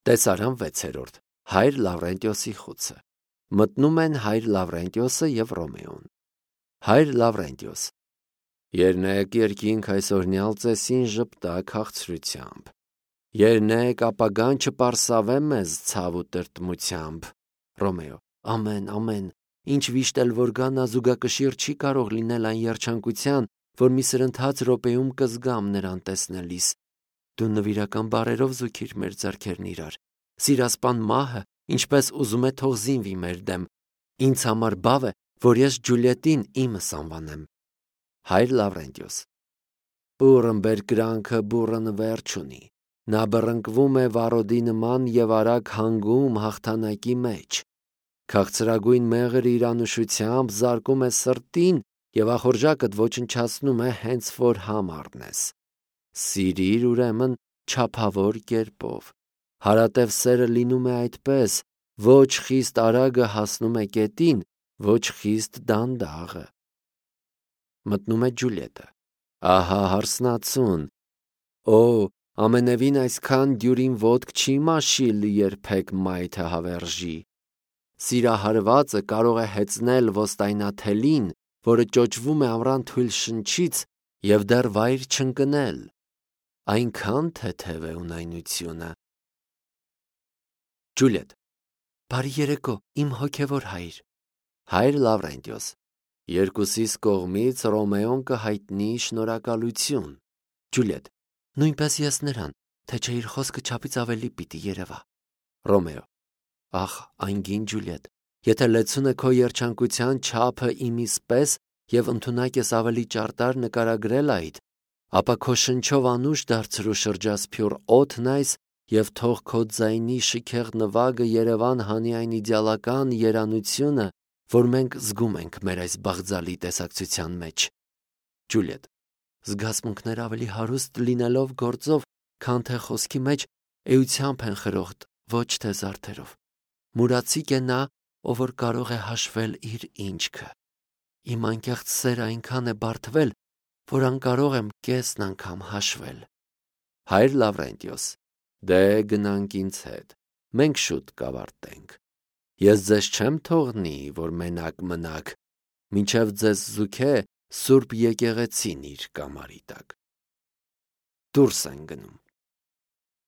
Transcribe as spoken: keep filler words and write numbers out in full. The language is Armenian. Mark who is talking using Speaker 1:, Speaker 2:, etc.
Speaker 1: Տեսարան վեցերորդ. Հայր Լավրենտիոսի խուցը։ Մտնում են հայր Լավրենտիոսը և Ռոմեոն։ Հայր Լավրենտիոս. Եռնեք երկինք այսօրնյալ ծեսին ժպտա քաղցրությամբ։ Եռնեք ապագան չպարսավե մեզ ցավ ու տրտմությամբ։ Ռոմեո. Ամեն, ամեն, ինչ վիշտ էլ որ գա նա զուգակշիռ չի կարող լինել այն երջանկության, որ մի սրընթաց րոպեում կզգամ նրան տեսնելիս։ Դու նվիրական բառերով զուգիր մեր ձեռքերն իրար։ Սիրասպան մահը ինչպես ուզում է թող զինվի մեր դեմ։ Ինձ համար բավ է, որ ես Ջուլիետին իմս անվանեմ։ Հայր Լավրենտիոս. Բուռն բերկրանքը բուռն վերջ ունի։ Նա բռնկվում է վարոդի նման և արագ հանգում հաղթանակի մեջ։ Քաղցրագույն մեղր իր անուշությամբ զարկում է սրտին և ախորժակդ ոչնչացնում է հենց որ համ առնես։ Սիրիր ուրեմն չափավոր կերպով։ Հարատև սերը լինում է այդպես, ոչ խիստ արագը հասնում է կետին, ոչ խիստ դանդաղը։ Մտնում է Ջուլիետը։ Ահա հարսնացուն։ Օ, ամենևին այսքան դյուրին ոտք չի մաշիլ երբեք մայթը հավերժի։ Սիրահարվածը կարող է հեծնել ոստայնաթելին, որը ճոճվում է ամռան թույլ շնչից և դեռ վայր չընկնել։ Այնքան թեթև է ունայնությունը։ Ջուլիետ. Բարի երեկո, իմ հոգևոր հայր։ Հայր Լավրենտիոս. Երկուսիս կողմից Ռոմեոն կհայտնի շնորհակալություն։ Ջուլիետ. Նույնպես ես նրան, թե չէ իր խոսքը չափից ավելի պիտի երևա։ Ռոմեո. Ախ, անգին Ջուլիետ, եթե լեցուն է քո երջանկության չափը իմիս պես և ընդունակ ես ավելի ճարտար նկարագրել այդ, ապա քո շնչով անուշ դարձրու շրջասփյուռ օդն այս և թող քո ձայնի շքեղ նվագը Երևան հանի այն իդեալական երանությունը, որ մենք զգում ենք մեր այս բաղձալի տեսակցության մեջ։ Ջուլիետ. Զգացմունքներ ավելի հարուստ լինելով գործով, քան թե խոսքի մեջ էությամբ են խրոխտ, ոչ թե զարդերով։ Մուրացիկ է նա, ով որ կարող է հաշվել իր ինչքը։ Իմ անկեղծ սերը այնքան է բարդվել, որ անկարող եմ կեսն անգամ հաշվել։ Հայր Լավրենտիոս. Դե գնանք ինձ հետ, մենք շուտ կավարտենք։ Ես ձեզ չեմ թողնի, որ մենակ մնաք, մինչև ձեզ զուգե Սուրբ եկեղեցին իր կամարի տակ։ Դուրս են գնում։